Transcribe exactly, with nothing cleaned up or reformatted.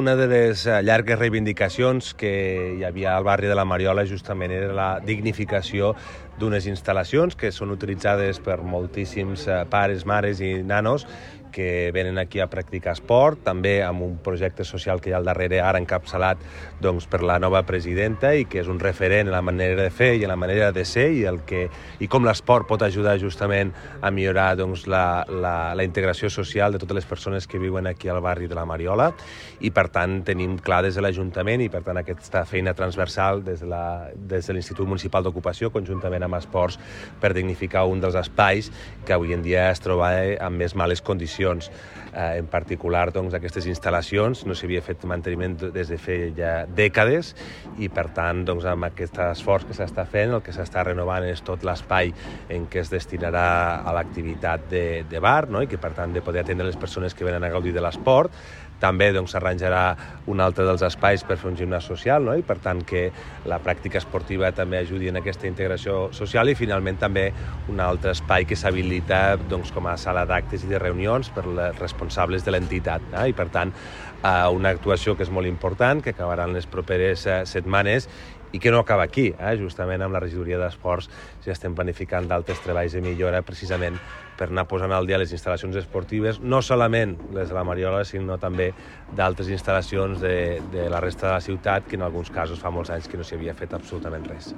Una de les llargues reivindicacions que hi havia al barri de la Mariola justament era la dignificació d'unes instal·lacions que són utilitzades per moltíssims pares, mares i nanos que venen aquí a practicar esport, també amb un projecte social que hi ha al darrere, ara encapçalat doncs, per la nova presidenta i que és un referent en la manera de fer i en la manera de ser i, el que, i com l'esport pot ajudar justament a millorar doncs, la, la, la integració social de totes les persones que viuen aquí al barri de la Mariola i per tant tenim clar des de l'Ajuntament i per tant aquesta feina transversal des de, la, des de l'Institut Municipal d'Ocupació conjuntament amb Esports per dignificar un dels espais que avui en dia es troba en més males condicions. Eh, en particular, doncs, aquestes instal·lacions no s'havia fet manteniment des de fer ja dècades i, per tant, doncs, amb aquest esforç que s'està fent, el que s'està renovant és tot l'espai en què es destinarà a l'activitat de, de bar, no? I que, per tant, de poder atendre les persones que venen a gaudir de l'esport. També doncs, s'arranjarà un altre dels espais per fer un gimnàs social, no? I per tant que la pràctica esportiva també ajudi en aquesta integració social i finalment també un altre espai que s'habilita doncs, com a sala d'actes i de reunions per les responsables de l'entitat. Eh? I per tant una actuació que és molt important, que acabarà en les properes setmanes i que no acaba aquí, eh? Justament amb la regidoria d'Esports ja estem planificant d'altres treballs de millora precisament per anar posant al dia les instal·lacions esportives, no solament les de la Mariola, sinó també d'altres instal·lacions de, de la resta de la ciutat que en alguns casos fa molts anys que no s'hi havia fet absolutament res.